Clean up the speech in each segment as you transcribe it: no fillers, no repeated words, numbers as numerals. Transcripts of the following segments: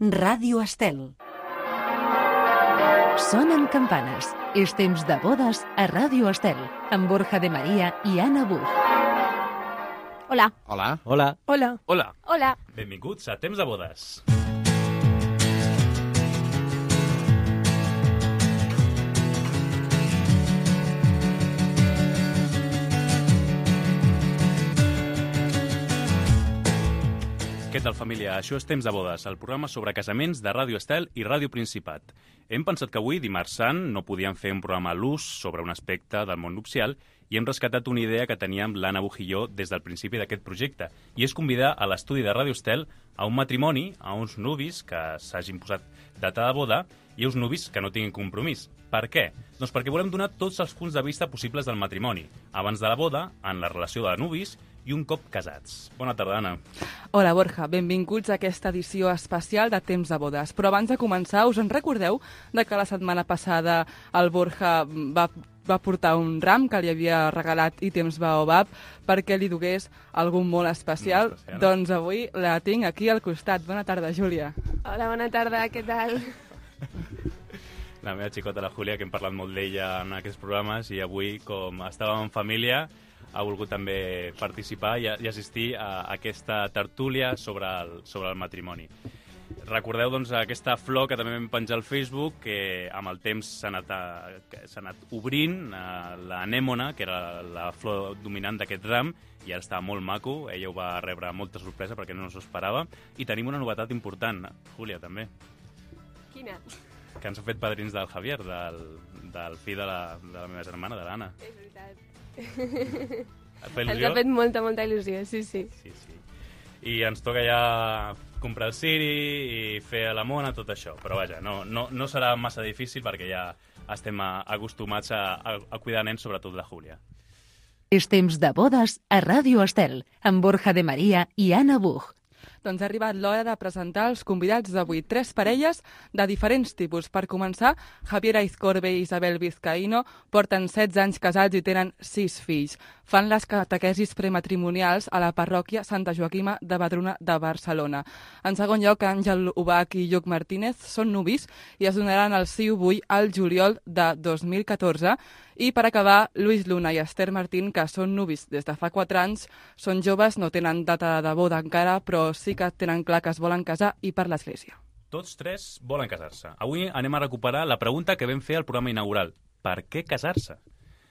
Ràdio Estel. Sonen campanes. És temps de bodes a Ràdio Estel, amb Borja de Maria i Anna Buch. Hola. Hola. Hola. Hola. Hola. Hola. Benvinguts a Temps de Bodes. Què tal, família? Això és Temps de Bodes, el programa sobre casaments de Ràdio Estel i Ràdio Principat. Hem pensat que avui, dimarts sant, no podíem fer un programa a l'ús sobre un aspecte del món nupcial i hem rescatat una idea que teníem l'Anna Buch i jo des del principi d'aquest projecte, i és convidar a l'estudi de Ràdio Estel a un matrimoni, a uns nuvis que s'hagin posat data de boda i a uns nuvis que no tinguin compromís. Per què? Doncs perquè volem donar tots els punts de vista possibles del matrimoni, abans de la boda, en la relació de nuvis i un cop casats. Bona tarda, Anna. Hola, Borja. Benvinguts a aquesta edició especial de Temps de Bodes. Però abans de començar, us en recordeu de que la setmana passada el Borja va portar un ram que li havia regalat i Temps Baobab perquè li dugués algun molt especial? Doncs avui la tinc aquí al costat. Bona tarda, Júlia. Hola, bona tarda, què tal? La meva xicota, la Júlia, que hem parlat molt d'ella en aquests programes, i avui, com estàvem en família, ha volgut també participar i assistir a aquesta tertúlia sobre el matrimoni. Recordeu, doncs, aquesta flor que també vam penjar al Facebook, que amb el temps s'ha anat obrint, l'anèmona, que era la flor dominant d'aquest ram, i ara està molt maco. Ella ho va rebre molta sorpresa perquè no s'ho esperava. I tenim una novetat important, Júlia, també. Quina? Que ens ha fet padrins del Javier, del fill de la meva germana, de l'Anna. És veritat. Ens ha fet molta il·lusió, sí. Sí. I ens toca ja comprar el ciri i fer la mona, tot això. Però vaja, no serà massa difícil perquè ja estem acostumats a cuidar nens, sobretot la Júlia. És temps de bodes a Ràdio Estel, amb Borja de Maria i Anna Buch. Doncs ha arribat l'hora de presentar els convidats d'avui. 3 parelles de diferents tipus. Per començar, Javier Aizcorbe i Isabel Vizcaíno porten 16 anys casats i tenen 6 fills. Fan les catequesis prematrimonials a la parròquia Santa Joaquima de Vedruna de Barcelona. En segon lloc, Àngel Ubach i Lluc Martínez són nuvis i es donaran el sí o vull al juliol de 2014. I per acabar, Luis Luna i Esther Martín, que són nuvis des de fa 4 anys, són joves, no tenen data de boda encara, però sí que tenen clar que es volen casar i per l'església. Tots 3 volen casar-se. Avui anem a recuperar la pregunta que vam fer al programa inaugural. Per què casar-se?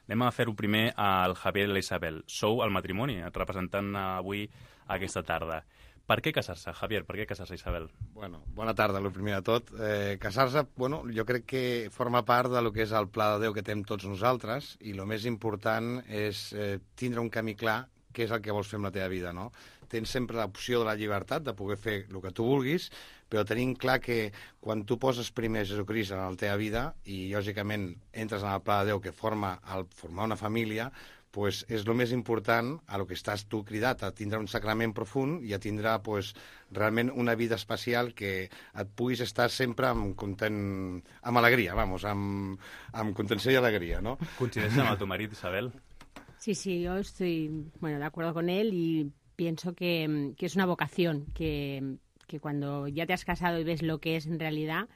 Anem a fer-ho primer al Javier i la Isabel. Sou el matrimoni, representant avui aquesta tarda. Per què casar-se, Javier? Per què casar-se, Isabel? Bueno, bona tarda, el primer de tot. Casar-se, jo crec que forma part de lo que és el pla de Déu que tenim tots nosaltres, i el més important és tindre un camí clar què és el que vols fer amb la teva vida, no? Tens sempre l'opció de la llibertat de poder fer el que tu vulguis, però tenim clar que quan tu poses primer Jesucrist en la teva vida i, lògicament, entres en el pla de Déu que formar una família, pues és el més important a lo que estàs tu cridat, a tindre un sacrament profund i a tindre realment una vida especial que et puguis estar sempre amb alegria, amb contenció y alegría, ¿no? ¿Coincides amb tu marit, Isabel? Sí, yo estoy de acuerdo con él y pienso que es una vocación, que cuando ya te has casado y ves lo que es en realidad,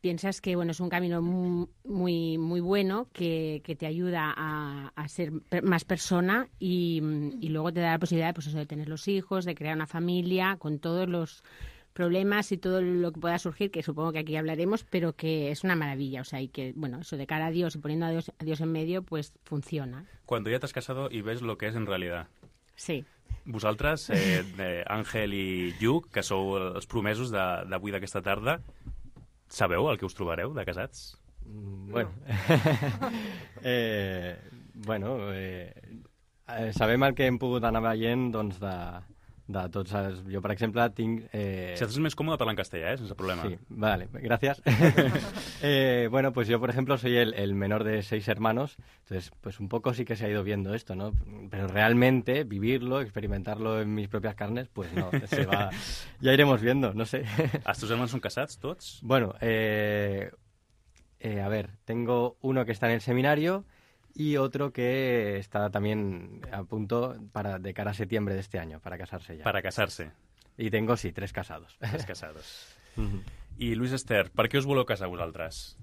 piensas que es un camino muy bueno que te ayuda a ser más persona y luego te da la posibilidad de tener los hijos, de crear una familia con todos los problemas y todo lo que pueda surgir, que supongo que aquí hablaremos, pero que es una maravilla, y que, eso de cara a Dios y poniendo a Dios en medio, pues funciona. Cuando ya te has casado y ves lo que es en realidad. Sí. Vosaltres, Àngel i Lluc, que sou els promesos d'avui d'aquesta tarda, sabeu el que us trobareu de casats? Bueno, sabem el que hem pogut anar veient, doncs, de tots els... Jo, per exemple, tinc... Si estàs més còmode parlar en castellà, sense problema. Sí, vale, gracias. Pues yo, por ejemplo, soy el menor de 6 hermanos, entonces, pues un poco sí que se ha ido viendo esto, ¿no? Pero realmente vivirlo, experimentarlo en mis propias carnes, pues no, se va... Ya iremos viendo, no sé. Els teus germans són casats, tots? Bueno, a ver, tengo uno que está en el seminario y otro que está también a punto de cara a septiembre de este año, para casarse ya. Para casarse. Y tengo, sí, 3 casados. 3 casados. I Lluís Ester, per què us voleu casar vosaltres?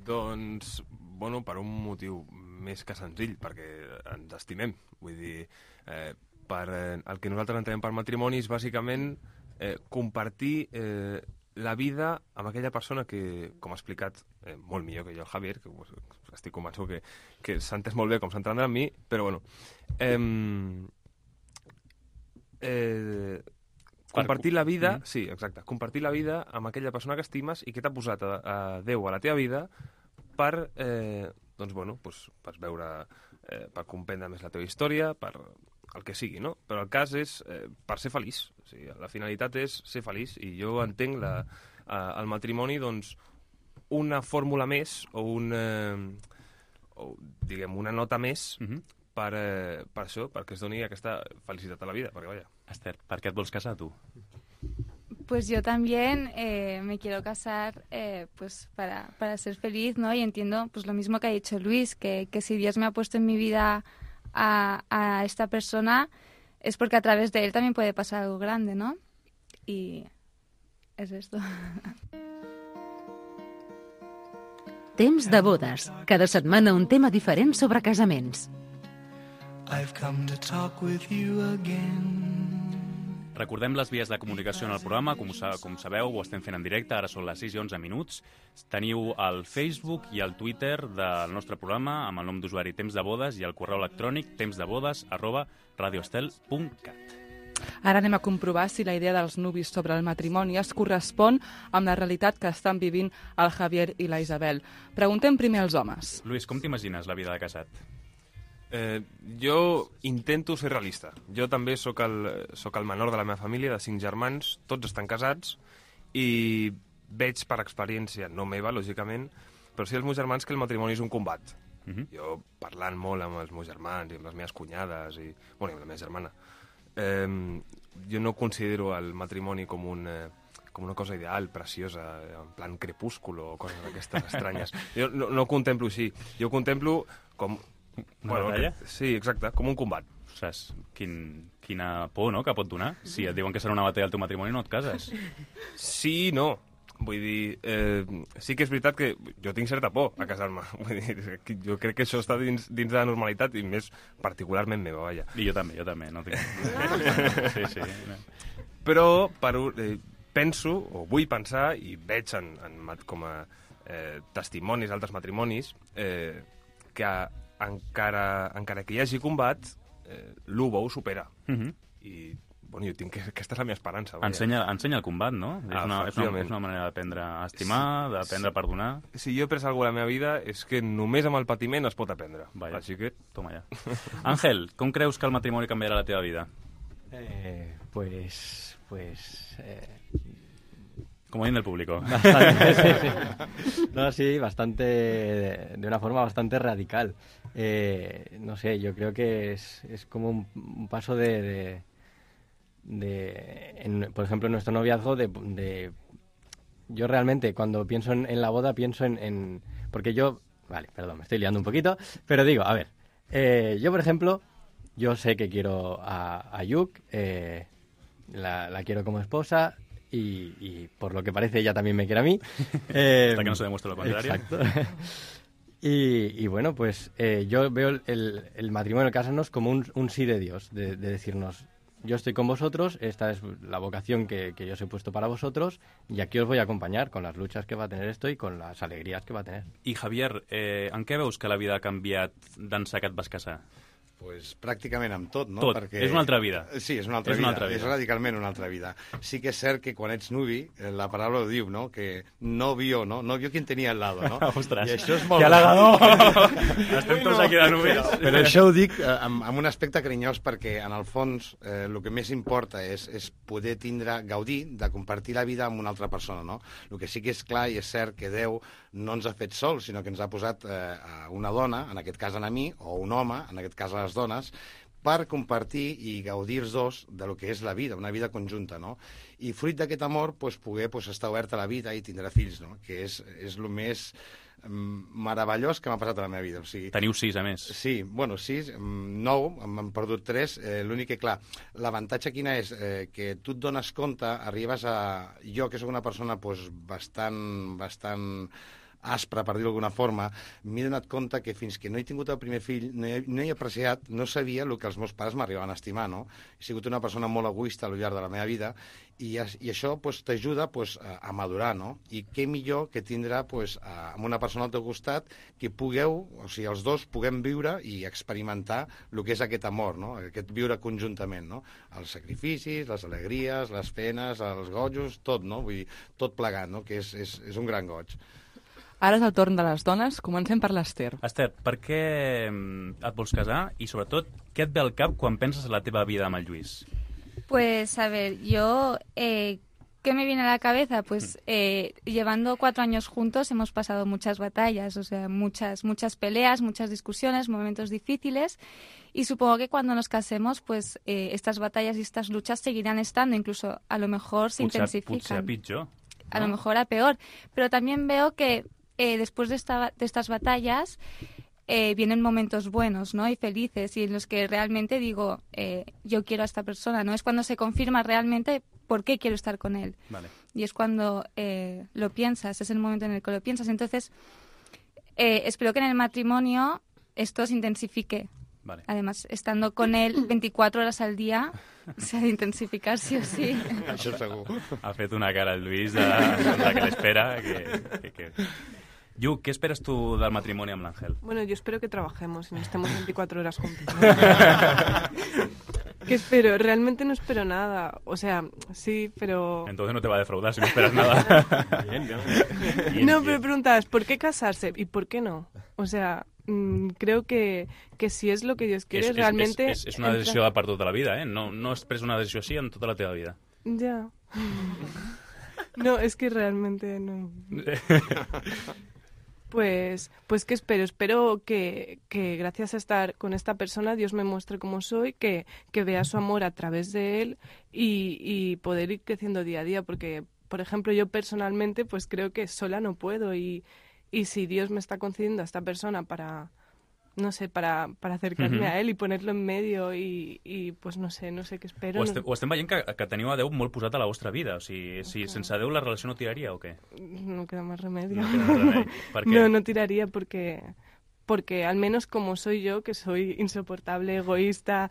Doncs, bueno, per un motiu més que senzill, perquè ens estimem. Vull dir, el que nosaltres entenem per matrimoni és bàsicament compartir la vida amb aquella persona que, com ha explicat molt millor que jo el Javier, que estic convençut que s'ha entès molt bé com s'entendrà amb mi, però bueno, compartir la vida, sí, exacte, compartir la vida amb aquella persona que estimes i que t'ha posat a Déu a la teva vida per, doncs, bueno, per veure, per comprendre més la teva història, per el que sigui, no? Però el cas és per ser feliç. O sigui, la finalitat és ser feliç i jo entenc el matrimoni, doncs, una fórmula més o diguem, una nota més per això, perquè es doni aquesta felicitat a la vida, perquè, vaja. Esther, per què et vols casar, tu? Pues yo también me quiero casar pues para ser feliz, ¿no? Y entiendo pues lo mismo que ha dicho Luis, que si Dios me ha puesto en mi vida a esta persona es porque a través de él también puede pasar algo grande, ¿no? Y es esto. Temps de bodes. Cada setmana un tema diferent sobre casaments. I've come to talk with you again. Recordem les vies de comunicació en el programa. Com sabeu, ho estem fent en directe. Ara són les 6 i 11 minuts. Teniu el Facebook i el Twitter del nostre programa amb el nom d'usuari Temps de Bodes i el correu electrònic temsdebodes@radioestel.cat. Ara anem a comprovar si la idea dels nuvis sobre el matrimoni es correspon amb la realitat que estan vivint el Javier i la Isabel. Preguntem primer als homes. Lluís, com t'imagines la vida de casat? Jo intento ser realista. Jo també sóc el menor de la meva família, de 5 germans, tots estan casats, i veig per experiència, no meva, lògicament, però sí els meus germans, que el matrimoni és un combat. Jo, parlant molt amb els meus germans i amb les meves cunyades, i amb la meva germana, jo no considero el matrimoni com una cosa ideal, preciosa, en plan crepúsculo o coses d'aquestes estranyes. Jo no ho contemplo així. Jo ho contemplo com... Sí, exacte, com un combat. Ostres, quina por, no?, que pot donar. Si et diuen que serà una batalla al teu matrimoni, no et cases. Sí, no. Vull dir, sí que és veritat que jo tinc certa por a casar-me. Vull dir, jo crec que això està dins de la normalitat i més particularment meva, vaja. I jo també, no tinc... Sí. Però penso, o vull pensar, i veig com a testimonis d'altres matrimonis, que encara que hi hagi combat, l'1 ho supera. I, bueno, jo tinc que... Aquesta és la meva esperança. Ensenya el combat, no? És una manera d'aprendre a estimar, d'aprendre a perdonar. Si jo he après alguna cosa a la meva vida és que només amb el patiment es pot aprendre. Així que... Toma ja. Àngel, com creus que el matrimoni canviarà la teva vida? Comodín del público. Bastante, sí. No, sí, bastante, de una forma bastante radical. No sé, yo creo que es como un paso por ejemplo, en nuestro noviazgo, yo realmente cuando pienso en la boda pienso en porque yo, vale, perdón, me estoy liando un poquito, pero digo, a ver, yo por ejemplo, yo sé que quiero a Yuk, la quiero como esposa. Y por lo que parece ella también me quiere a mí. Hasta que no se demuestre lo contrario. Exacto. Y bueno, pues yo veo el matrimonio, el casarnos, como un sí de Dios, de decirnos, yo estoy con vosotros, esta es la vocación que yo os he puesto para vosotros, y aquí os voy a acompanyar con las luchas que va a tener esto y con las alegrías que va a tener. I Javier, en què veus que la vida ha canviat d'ençà que et vas casar? Pues pràcticament amb tot, no? Tot. Perquè... És una altra vida. Sí, és una altra vida. És radicalment una altra vida. Sí que és cert que quan ets nuvi, la paraula ho diu, no? Que no vio, no? No vio quien tenia al lado, no? Ostres, i això és molt... que halagador! Estem tots aquí de nuvis. Però això ho dic amb un aspecte carinyós perquè, en el fons, el que més importa és poder gaudir de compartir la vida amb una altra persona, no? El que sí que és clar i és cert que Déu no ens ha fet sols, sinó que ens ha posat una dona, en aquest cas a mi, o un home, en aquest cas a les dones, per compartir i gaudir els dos de lo que és la vida, una vida conjunta, no? I fruit d'aquest amor, poder estar obert a la vida i tindre fills, no? Que és el més meravellós que m'ha passat a la meva vida. O sigui, Teniu 6, a més. Sí, bueno, 6, 9, m'han perdut 3. L'únic que, clar, l'avantatge quina és? Que tu et dones compte, arribes a... Jo, que sóc una persona pues, bastant aspra, per dir-ho d'alguna forma, m'he donat compte que fins que no he tingut el primer fill, no he apreciat, no sabia el que els meus pares m'arribaven a estimar, no? He sigut una persona molt egoista al llarg de la meva vida i això pues, t'ajuda pues, a madurar, no? I què millor que tindrà pues, amb una persona al teu costat que pugueu, o sigui, els dos puguem viure i experimentar el que és aquest amor, no? Aquest viure conjuntament, no? Els sacrificis, les alegries, les penes, els gojos, tot, no? Vull dir, tot plegat, no? Que és un gran goig. Ara és el torn de les dones. Comencem per l'Ester. Esther, per què et vols casar i, sobretot, què et ve al cap quan penses en la teva vida amb el Lluís? Pues, a ver, yo, ¿qué me viene a la cabeza? Pues llevando 4 años juntos hemos pasado muchas batallas, o sea, muchas peleas, muchas discusiones, momentos difíciles, y supongo que cuando nos casemos, pues estas batallas y estas luchas seguirán estando, incluso a lo mejor se intensifican. Potser a pitjor. A lo mejor a peor, pero también veo que después de estas batallas vienen momentos buenos, ¿no? Y felices, y en los que realmente digo, yo quiero a esta persona, ¿no? Es cuando se confirma realmente por qué quiero estar con él. Vale. Y es cuando lo piensas, es el momento en el que lo piensas. Entonces, espero que en el matrimonio esto se intensifique. Vale. Además, estando con él 24 horas al día, se ha de intensificar sí o sí. Això segur. Ha fet una cara el Lluís de que l'espera. Que... Yu, ¿qué esperas tú del matrimonio amb l'Àngel? Bueno, yo espero que trabajemos y no estemos 24 horas juntos. ¿Qué espero? Realmente no espero nada. O sea, sí, pero... Entonces no te va a defraudar si no esperas nada. Bien, No, pero preguntas, ¿por qué casarse? ¿Y por qué no? O sea, creo que si és lo que Dios quiere, realmente... És una decisió per tota la vida, eh? No has pres una decisió així en tota la teva vida. Ya. No, es que realmente no... Pues ¿qué espero? Espero que gracias a estar con esta persona Dios me muestre cómo soy, que vea su amor a través de él y poder ir creciendo día a día, porque, por ejemplo, yo personalmente pues creo que sola no puedo y si Dios me está concediendo a esta persona para acercarme a él y ponerlo en medio y pues no sé què espero. O estem veient que teniu a Déu molt posat a la vostra vida. O sigui, si sense Déu la relació no tiraria o què? No queda más remedio. No queda más remedio. ¿Por qué? No tiraría porque al menos como soy yo, que soy insoportable, egoísta,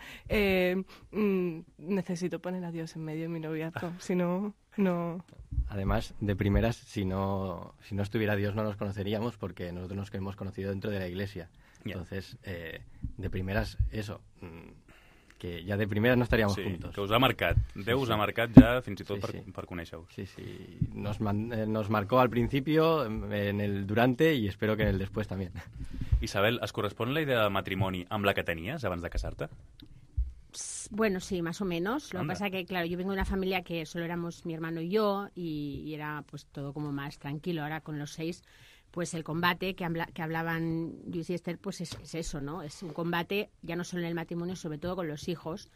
necesito poner a Dios en medio de mi noviazgo. Si no, no... Además, de primeras, si no estuviera Dios no nos conoceríamos, porque nosotros nos hemos conocido dentro de la iglesia. Entonces, de primeras, eso, que ja de primeras no estaríamos juntos. Que us ha marcat. Déu us ha marcat ja fins i tot per conèixer-vos. Sí. Nos marcó al principio, en el durante y espero que en el después también. Isabel, es correspon la idea de matrimoni amb la que tenies abans de casar-te? Bueno, sí, más o menos. Lo que pasa que, claro, yo vengo de una familia que solo éramos mi hermano y yo y era pues todo como más tranquilo. Ahora con los 6, pues el combate que hablaban Luis y Esther, pues es eso, ¿no? Es un combate ya no solo en el matrimonio, sobre todo con los hijos,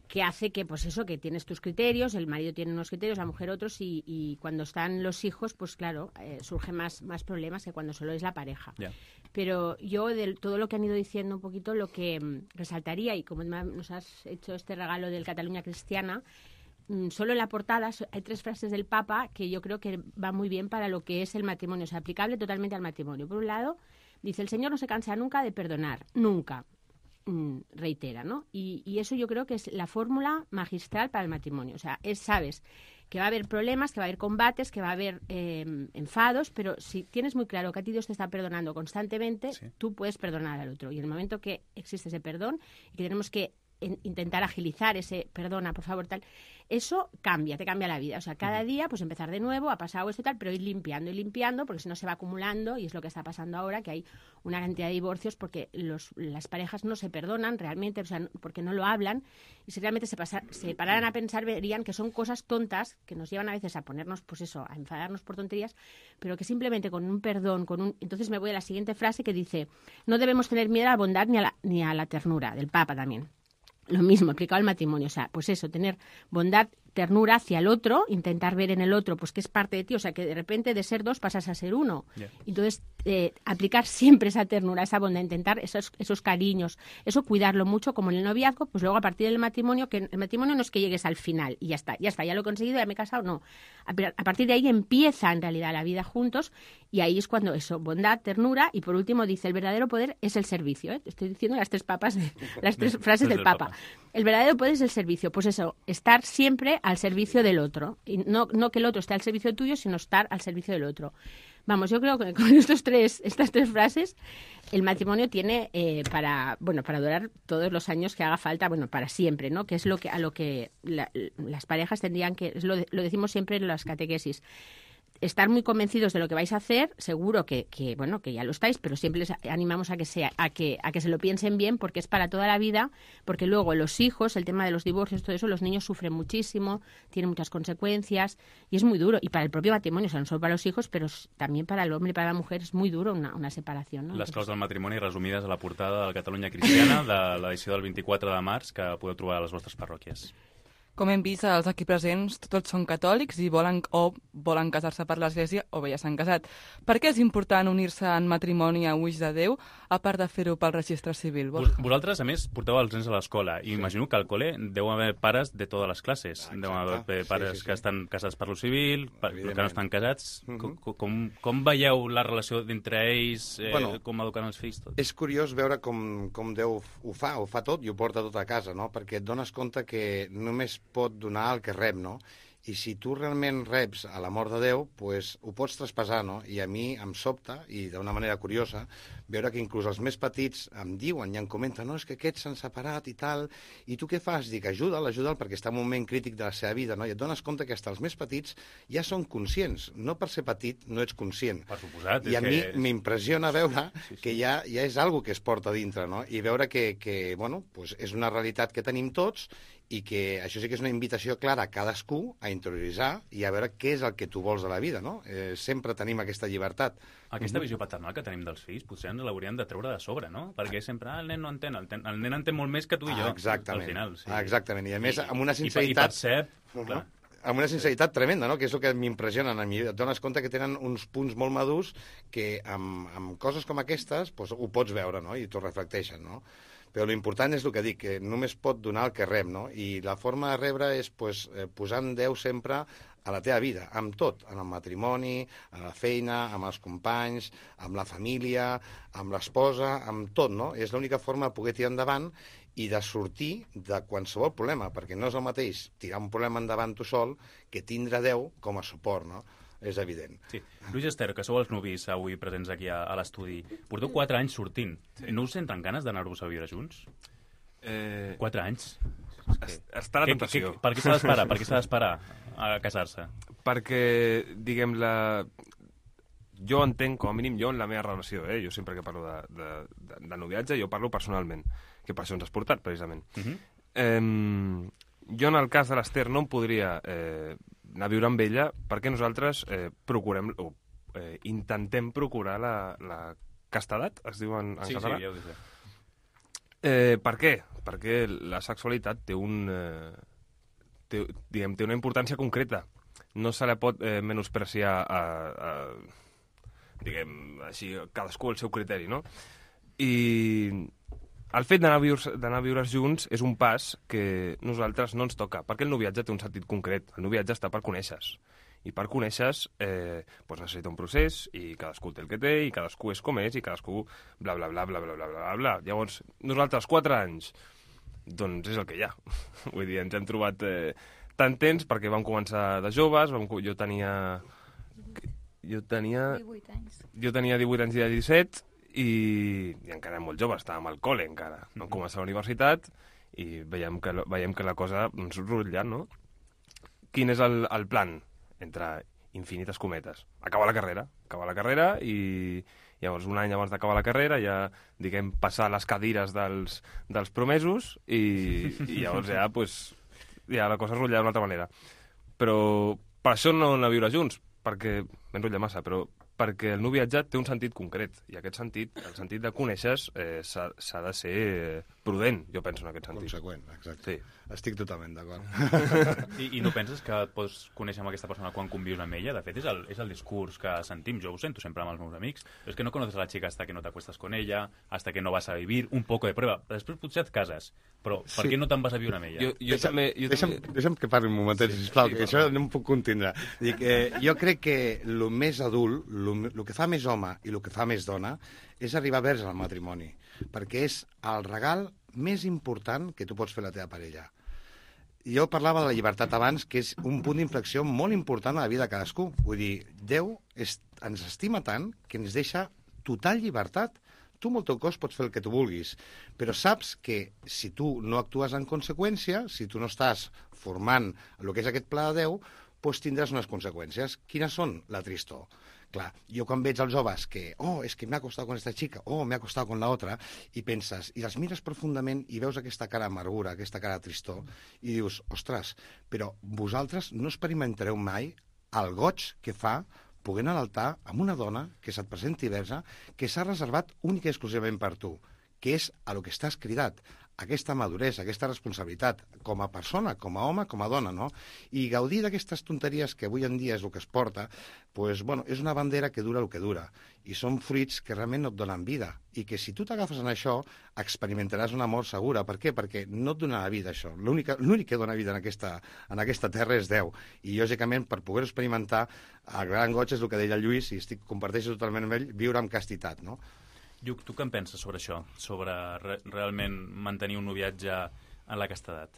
que hace que, pues eso, que tienes tus criterios, el marido tiene unos criterios, la mujer otros, y cuando están los hijos, pues claro, surgen más problemas que cuando solo es la pareja. Yeah. Pero yo, de todo lo que han ido diciendo un poquito, lo que resaltaría, y como nos has hecho este regalo del Cataluña Cristiana, solo en la portada hay 3 frases del Papa que yo creo que van muy bien para lo que es el matrimonio, o sea, aplicable totalmente al matrimonio. Por un lado, dice, el Señor no se cansa nunca de perdonar, nunca. Reitera, ¿no? Y eso yo creo que es la fórmula magistral para el matrimonio. O sea, sabes que va a haber problemas, que va a haber combates, que va a haber enfados, pero si tienes muy claro que a ti Dios te está perdonando constantemente, tú puedes perdonar al otro. Y en el momento que existe ese perdón y que tenemos que intentar agilizar ese perdona, por favor, tal, eso te cambia la vida. O sea, cada día, pues empezar de nuevo, ha pasado esto y tal, pero ir limpiando, porque si no se va acumulando, y es lo que está pasando ahora, que hay una cantidad de divorcios porque las parejas no se perdonan realmente, o sea, porque no lo hablan, y si realmente se pararan a pensar, verían que son cosas tontas que nos llevan a veces a ponernos, pues eso, a enfadarnos por tonterías, pero que simplemente con un perdón, entonces me voy a la siguiente frase que dice, no debemos tener miedo a la bondad ni a la ternura, del Papa también. Lo mismo, aplicado al matrimonio. O sea, pues eso, tener bondad ternura hacia el otro, intentar ver en el otro pues que es parte de ti, o sea que de repente de ser 2 pasas a ser 1. Yeah. Entonces, aplicar siempre esa ternura, esa bondad, intentar esos cariños, eso cuidarlo mucho, como en el noviazgo, pues luego a partir del matrimonio, que el matrimonio no es que llegues al final y ya está, ya lo he conseguido, ya me he casado, no. A partir de ahí empieza en realidad la vida juntos y ahí es cuando eso, bondad, ternura y por último dice, el verdadero poder es el servicio. Estoy diciendo las 3 frases del Papa. El verdadero poder es el servicio, pues eso, estar siempre al servicio del otro. Y no que el otro esté al servicio tuyo, sino estar al servicio del otro. Vamos, yo creo que con estas 3 frases el matrimonio tiene para durar todos los años que haga falta, bueno, para siempre, ¿no? Que es a lo que las parejas tendrían que, lo decimos siempre en las catequesis, estar muy convencidos de lo que vais a hacer, seguro que ya lo estáis, pero siempre les animamos a que se lo piensen bien, porque es para toda la vida, porque luego los hijos, el tema de los divorcios, todo eso, los niños sufren muchísimo, tienen muchas consecuencias y es muy duro. Y para el propio matrimonio, o sea, no solo para los hijos, pero también para el hombre y para la mujer es muy duro una separación, ¿no? Les claus del matrimoni resumides a la portada de la Catalunya Cristiana de l'edició del 24 de març que podeu trobar a les vostres parròquies. Com hem vist, els aquí presents tots són catòlics i volen casar-se per l'Església o bé ja s'han casat. Per què és important unir-se en matrimoni a ulls de Déu, a part de fer-ho pel registre civil? Vosaltres, a més, porteu els nens a l'escola i imagino que al col·le deu haver pares de totes les classes. Deu haver pares que estan casats per lo civil, que no estan casats. Com veieu la relació entre ells, com educant els fills? Tot? És curiós veure com Déu ho fa tot i ho porta tot a casa, no? Perquè et dones compte que només pot donar el que rep, no? I si tu realment reps a l'amor de Déu, pues, ho pots traspassar, no? I a mi em sobta, i d'una manera curiosa, veure que inclús els més petits em diuen i em comenten, no, és que aquests s'han separat i tal, i tu què fas? Dic, ajuda'l, perquè està en un moment crític de la seva vida, no? I et dones compte que fins els més petits ja són conscients. No per ser petit no ets conscient. Per suposat. I a mi m'impressiona veure que ja és algo que es porta dintre, no? I veure que pues és una realitat que tenim tots i que això sí que és una invitació clara a cadascú a interioritzar i a veure què és el que tu vols de la vida, no? Sempre tenim aquesta llibertat. Aquesta visió paternal que tenim dels fills potser ens l'hauríem de treure de sobre, no? Perquè sempre el nen no entén, el nen entén molt més que tu i jo, exactament, al final. Sí. Exactament, i a més amb una sinceritat... I percep, clar. Amb una sinceritat tremenda, no? Que és el que m'impressiona a mi. Et dones compte que tenen uns punts molt madurs que amb coses com aquestes pues, ho pots veure, no? I t'ho reflecteixen, no? Però l'important és el que dic, que només pot donar el que rep, no? I la forma de rebre és pues, posant Déu sempre a la teva vida, amb tot, en el matrimoni, a la feina, amb els companys, amb la família, amb l'esposa, amb tot, no? És l'única forma de poder tirar endavant i de sortir de qualsevol problema, perquè no és el mateix tirar un problema endavant tu sol que tindre Déu com a suport, no? És evident. Sí. Lluís Ester, que sou els nuvis avui presents aquí a l'estudi, porteu 4 anys sortint. Sí. No us senten ganes d'anar-vos a viure junts? 4 anys? Està la tentació. Per què s'ha d'esperar? Per què s'ha d'esperar a casar-se? Perquè, diguem, jo entenc, com a mínim, jo en la meva relació, jo sempre que parlo de noviatge, jo parlo personalment, que per això ens has portat, precisament. Jo, en el cas de l'Ester, no em podria anar a viure amb ella perquè nosaltres procurem o intentem procurar la castedat, es diu en català. Sí, ja ho dic. Per què? Perquè la sexualitat té una importància concreta. No se la pot menospreciar diguem, així, cadascú al seu criteri, no? I el fet d'anar a viure junts és un pas que nosaltres no ens toca, perquè el noviatge té un sentit concret. El noviatge està per conèixer-se. I per conèixer-se necessita un procés, i cadascú té el que té, i cadascú és com és, i cadascú bla, bla, bla, bla, bla, bla, bla, bla. Llavors, nosaltres 4 anys, doncs és el que hi ha. Vull dir, ens hem trobat tant temps perquè vam començar de joves, jo tenia 18 anys. Jo tenia 18 anys i 17, i encara molt jove, estàvem al col·le encara. Vam començar a la universitat i veiem que la cosa ens rutlla, no? Quin és el plan? Entre infinites cometes. Acabar la carrera i llavors un any abans d'acabar la carrera ja, diguem, passar les cadires dels promesos i llavors ja, ja la cosa es rotlla d'una altra manera. Però per això no anar a viure junts, perquè m'enrotlla massa, però perquè el noviatge té un sentit concret, i aquest sentit, el sentit de conèixer, s'ha de ser prudent, jo penso, en aquest sentit. Conseqüent, exacte. Sí. Estic totalment d'acord. I no penses que et pots conèixer amb aquesta persona quan convius amb ella? De fet, és el discurs que sentim. Jo ho sento sempre amb els meus amics. És que no conoces a la chica hasta que no te acuestas con ella, hasta que no vas a vivir, un poco de prueba. Després potser et cases, però per què no te'n vas a viure amb ella? Deixa'm que parli un momentet, sisplau, que això no em puc contindre. Dic, jo crec que el més adult, el que fa més home i el que fa més dona, és arribar vers al matrimoni, perquè és el regal més important que tu pots fer a la teva parella. Jo parlava de la llibertat abans, que és un punt d'inflexió molt important a la vida de cadascú. Vull dir, Déu ens estima tant que ens deixa total llibertat. Tu amb el teu cos pots fer el que tu vulguis, però saps que si tu no actues en conseqüència, si tu no estàs formant el que és aquest pla de Déu, doncs tindràs unes conseqüències. Quines són? La tristor. Clar, jo quan veig els joves que, és que m'ha costat con esta chica, m'ha costat con la otra, i penses, i els mires profundament i veus aquesta cara d'amargura, aquesta cara de tristor, i dius, ostres, però vosaltres no experimentareu mai el goig que fa poder anar a l'altar amb una dona que se't presenti versa, que s'ha reservat única i exclusivament per tu, que és a lo que estàs cridat, aquesta maduresa, aquesta responsabilitat, com a persona, com a home, com a dona, no? I gaudir d'aquestes tonteries que avui en dia és el que es porta, doncs, bueno, és una bandera que dura el que dura, i són fruits que realment no et donen vida, i que si tu t'agafes en això, experimentaràs una mort segura. Per què? Perquè no et donarà vida, això. L'únic que dona vida en aquesta terra és Déu, i lògicament, per poder experimentar, el gran goig és el que deia el Lluís, i comparteixo totalment amb ell, viure amb castitat, no? Lluc, tu què en penses sobre això? Sobre realment mantenir un noviatge en la castedat?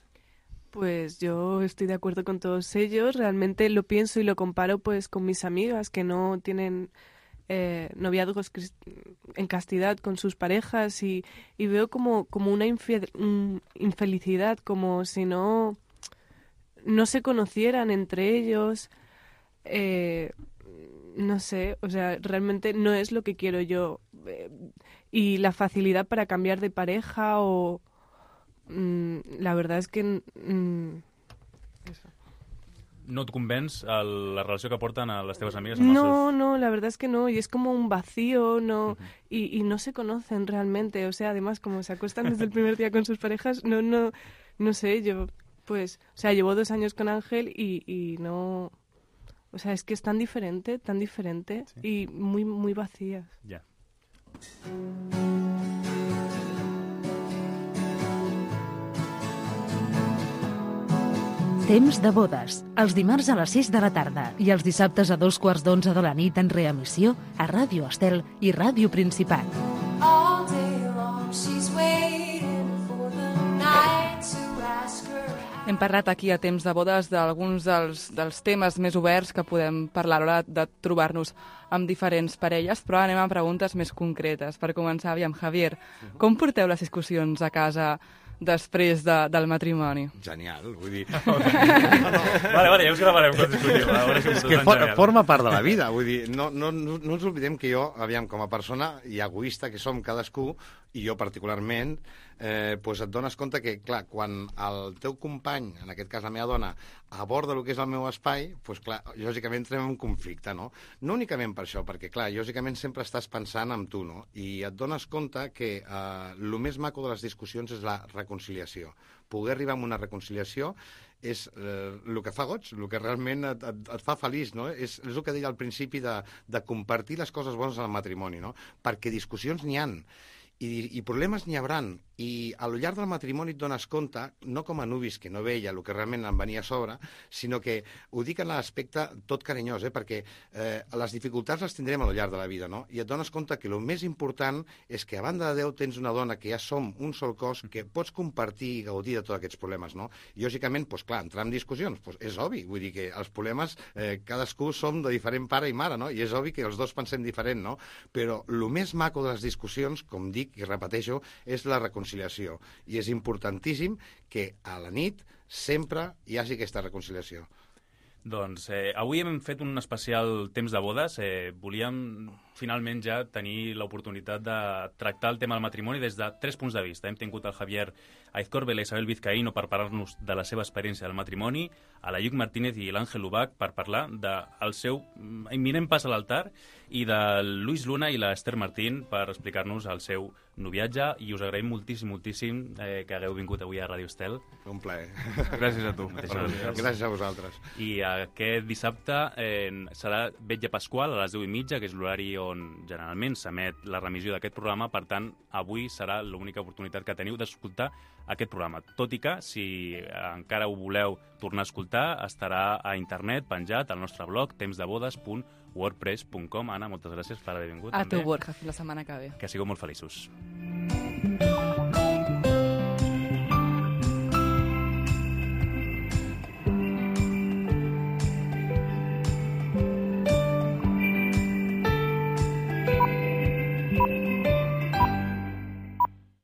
Pues yo estoy de acuerdo con todos ellos. Realmente lo pienso y lo comparo pues con mis amigas que no tienen noviazgos en castidad con sus parejas y veo como una infelicidad, como si no se conocieran entre ellos. No sé, o sea, realmente no es lo que quiero yo. Y la facilidad para cambiar de pareja o... la verdad es que... eso. No et convenç la relació que porten a les teves amigues? No, la verdad es que no. Y es como un vacío, no y no se conocen realmente. O sea, además, como se acuestan desde el primer día con sus parejas, no sé, yo... Pues, o sea, llevo 2 años con Ángel y no... O sea, es que es tan diferente sí. Y muy, muy vacías. Ya. Temps de bodes, els dimarts a les 6 de la tarda i els dissabtes a 2:15 de la nit en reemissió a Ràdio Estel i Ràdio Principat. All day long she's waiting for the night to ask her. Hem parlat aquí a Temps de bodes d'alguns dels temes més oberts que podem parlar a l'hora de trobar-nos amb diferents parelles, però anem a preguntes més concretes. Per començar, aviam, Javier, com porteu les discussions a casa després del matrimoni? Genial, vull dir... Vale, ja us gravarem quan discutim. És que forma part de la vida, vull dir, no ens oblidem que jo, aviam, com a persona i egoista que som cadascú, i jo particularment, doncs et dones compte que, clar, quan el teu company, en aquest cas la meva dona, aborda el que és el meu espai, doncs, clar, lògicament entrem en un conflicte, no? No únicament per això, perquè, clar, lògicament sempre estàs pensant en tu, no? I et dones compte que el més maco de les discussions és la reconciliació. Poder arribar a una reconciliació és el que fa goig, el que realment et fa feliç, no? És el que deia al principi de compartir les coses bones al matrimoni, no? Perquè discussions n'hi han. I problemes n'hi hauran, i al llarg del matrimoni et dones compte, no com a nuvis que no veia el que realment em venia a sobre, sinó que ho dic en l'aspecte tot carinyós, perquè les dificultats les tindrem al llarg de la vida, no? I et dones compte que el més important és que a banda de Déu tens una dona que ja som un sol cos, que pots compartir i gaudir de tots aquests problemes, no? I lògicament, doncs clar, entrar en discussions, doncs és obvi, vull dir que els problemes cadascú som de diferent pare i mare, no? I és obvi que els dos pensem diferent, no? Però el més maco de les discussions, com dic i repeteixo, és la reconciliació. I és importantíssim que a la nit sempre hi hagi aquesta reconciliació. Doncs avui hem fet un especial Temps de bodes. Volíem finalment ja tenir l'oportunitat de tractar el tema del matrimoni des de 3 punts de vista. Hem tingut el Javier Aizcorbe i la Isabel Vizcaíno per parlar-nos de la seva experiència del matrimoni, a la Lluc Martínez i l'Àngel Ubach per parlar del seu imminent pas a l'altar, i de Luis Luna i l'Esther Martín per explicar-nos el seu noviatge, i us agraïm moltíssim que hagueu vingut avui a Ràdio Estel. Un plaer. Gràcies a tu. Gràcies a vosaltres. I aquest dissabte serà Vetlla Pasqual a les 10:30, que és l'horari on generalment s'emet la remissió d'aquest programa. Per tant, avui serà l'única oportunitat que teniu d'escoltar aquest programa. Tot i que, si encara ho voleu tornar a escoltar, estarà a internet penjat al nostre blog temsdebodes.wordpress.com. Anna, moltes gràcies per haver vingut. A tu, Borja, fins la setmana que ve. Que sigueu molt feliços.